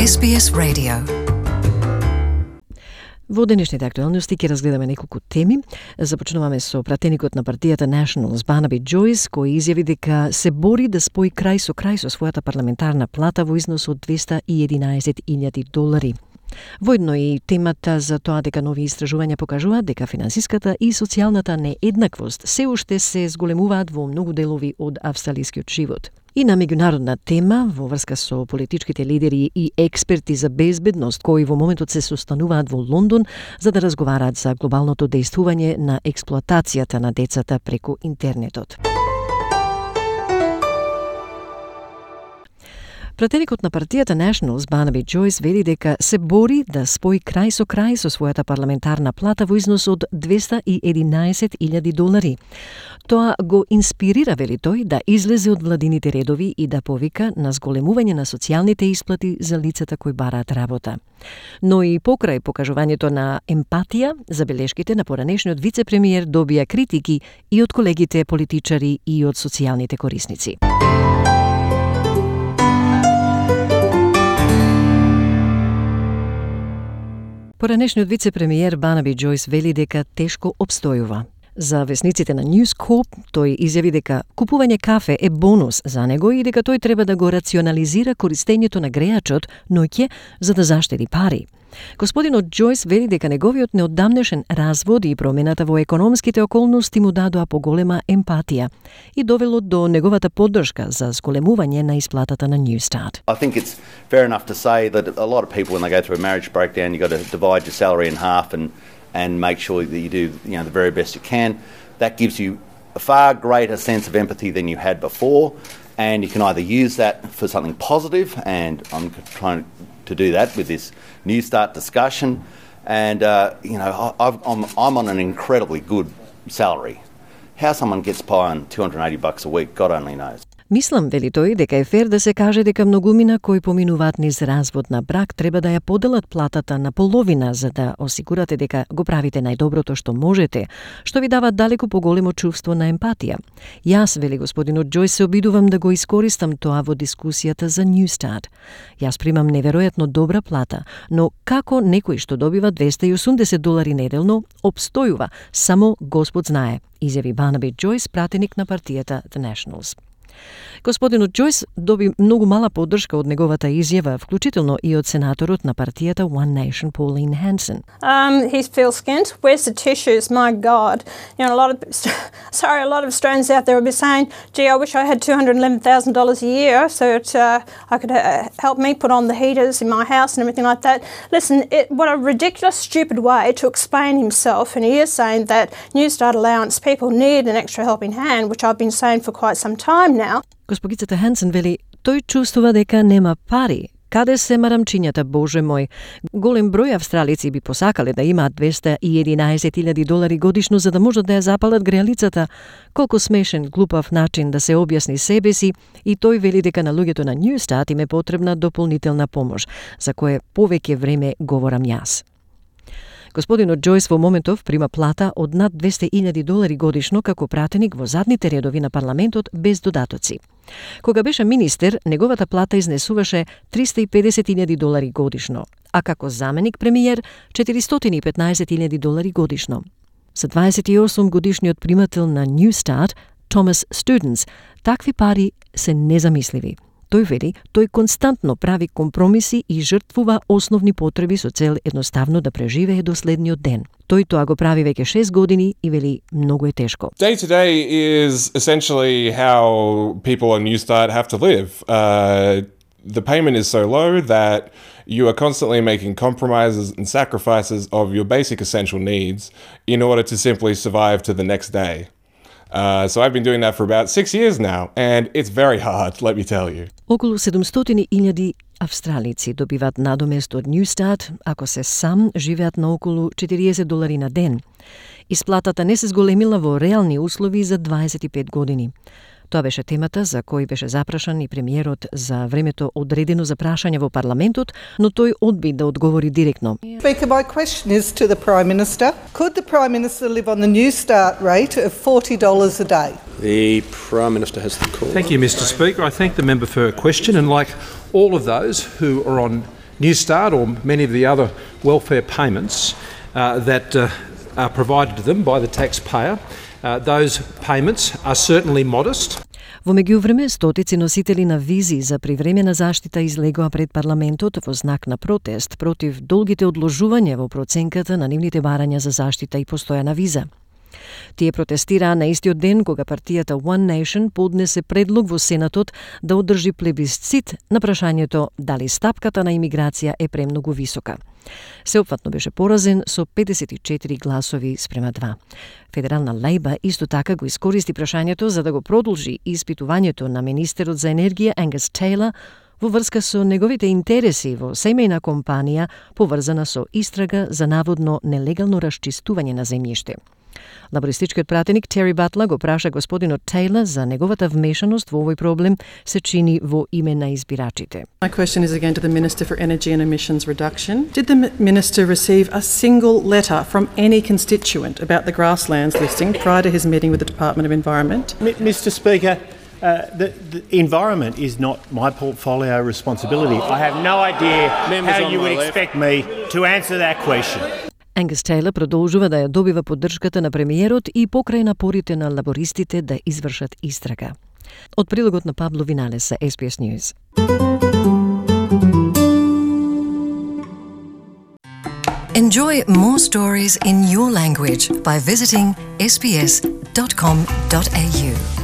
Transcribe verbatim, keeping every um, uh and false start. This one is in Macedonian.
Ес Би Ес Radio. Во денешните актуелности ќе разгледаме неколку теми. Започнуваме со пратеникот на партијата Nationals Барнаби Џојс, кој изјави дека се бори да спои крај со крај со својата парламентарна плата во износ од двеста и единаесет илјади долари. Воедно и темата за тоа дека нови истражувања покажуваат дека финансиската и социјалната нееднаквост се уште се зголемуваат во многу делови од австралискиот живот. И на меѓународна тема, во врска со политичките лидери и експерти за безбедност кои во моментот се состануваат во Лондон за да разговараат за глобалното дејствување на експлоатацијата на децата преку интернетот. Пратеникот на партијата Nationals Барнаби Џојс вели дека се бори да спои крај со крај со својата парламентарна плата во износ од двеста и единаесет илјади долари. Тоа го инспирира, вели тој, да излезе од владините редови и да повика на зголемување на социјалните исплати за лицата кои бараат работа. Но и покрај покажувањето на емпатија, забелешките на поранешниот вице-премиер добија критики и од колегите политичари и од социјалните корисници. Поранешниот вице-премиер Барнаби Џојс вели дека тешко обстојува. За весниците на News Corp тој изјави дека купување кафе е бонус за него и дека тој треба да го рационализира користењето на грејачот ноќе за да заштеди пари. Господинот Џојс вели дека неговиот неодамнешен развод и промената во економските околности му дадоа поголема емпатија и довело до неговата поддршка за зголемување на исплатата на Newstart. I think it's fair enough to say that a lot of people when they go through a marriage breakdown, you got to divide your salary in half and and make sure that you do, you know, the very best you can. That gives you a far greater sense of empathy than you had before, and you can either use that for something positive, and I'm trying to do that with this Newstart discussion. And uh, you know, I've, I'm I'm on an incredibly good salary. How someone gets by on two hundred eighty bucks a week, God only knows. Мислам, вели тој, дека е фер да се каже дека многумина кои поминуваат низ развод на брак треба да ја поделат платата на половина за да осигурате дека го правите најдоброто што можете, што ви дава далеку поголемо чувство на емпатија. Јас, вели господинот Џојс, се обидувам да го искористам тоа во дискусијата за Newstart. Јас примам неверојатно добра плата, но како некој што добива двеста и осумдесет долари неделно обстојува, само Господ знае, изјави Барнаби Џојс, пратеник на партијата The Nationals. Господинот Џојс доби многу мала поддршка од неговата изјава, вклучително и од сенаторот на партијата One Nation Pauline Hanson. Um, he feels skint. Where's the tissues? My God. You know, a lot of sorry, a lot of Australians out there will be saying, "Gee, I wish I had two hundred eleven thousand dollars a year so that uh, I could uh, help me put on the heaters in my house and everything like that." Listen, it, what a ridiculous, stupid way to explain himself, and he is saying that Newstart allowance people need an extra helping hand, which I've been saying for quite some time now. Госпогицата Хансен вели, тој чувствува дека нема пари. Каде се марамчињата, Боже мој? Голем број австралици би посакале да имаат двеста и единаесет илјади долари годишно за да можат да ја запалат грејалицата. Колку смешен, глупав начин да се објасни себе си, и тој вели дека на луѓето на Newstart им е потребна дополнителна помош, за кое повеќе време говорам јас. Господинот Џојс во моментов прима плата од над двеста илјади долари годишно како пратеник во задните редови на парламентот без додатоци. Кога беше министер, неговата плата изнесуваше триста и педесет илјади долари годишно, а како заменик премиер четиристотини и петнаесет илјади долари годишно. За дваесет и осум годишниот примател на Newstart, Томас Студенс, такви пари се незамисливи. Тој вели, тој константно прави компромиси и жртвува основни потреби со цел едноставно да преживее до следниот ден. Тој тоа го прави веќе шест години и вели многу е тешко. Day to day is essentially how people on Newstart have to live. Uh, the payment is so low that you are constantly making compromises and sacrifices of your basic essential needs in order to simply survive to the next day. Uh, so I've been doing that for about six years now, and it's very hard, let me tell you. Околу седумстотини илјади австралици добиваат надомест од Newstart, ако се сам живеат на околу четириесет долари на ден. Исплатата не се зголемила во реални услови за дваесет и пет години. Тоа беше темата за кој беше запрашан и премиерот за времето одредено за прашање во парламентот, но тој одби да одговори директно. Speaker, my question is to the Prime Minister. Could the Prime Minister live on the Newstart rate of forty dollars a day? The Prime Minister has the call. Thank you, Mister Speaker. I thank the member for her question, and like all of those who are on New Start or many of the other welfare payments uh, that uh, are provided to them by the taxpayer. Uh, those payments are certainly modest. Во меѓувреме, стотици носители на визи за привремена заштита излегоа пред парламентот во знак на протест против долгите одложувања во проценката на нивните барања за заштита и постојана виза. Тие протестираа на истиот ден кога партијата One Nation поднесе предлог во Сенатот да одржи плебисцит на прашањето дали стапката на имиграција е премногу висока. Сеопфатно беше поразен со педесет и четири гласови спрема два. Федерална Лејба исто така го искористи прашањето за да го продолжи испитувањето на министерот за енергија Ангус Тейлор во врска со неговите интереси во семејна компанија поврзана со истрага за наводно нелегално расчистување на земјиште. Лабористичкиот пратеник Тери Батла го праша господинот Тейлор за неговата вмешаност во овој проблем се чини во име на избирачите. My question is again to the Minister for Energy and Emissions Reduction. Did the Minister receive a single letter from any constituent about the grasslands listing prior to his meeting with the Department of Environment? M- Mister Speaker, uh, the, the environment is not my portfolio responsibility. I have no idea Members how on you my would left. expect me to answer that question. Ангус Тейлор продолжува да ја добива поддршката на премиерот и покрај напорите на лабористите да извршат истрага. Од прилогот на Пабло Виналес за S B S News. Enjoy more stories in your language by visiting s b s dot com dot a u.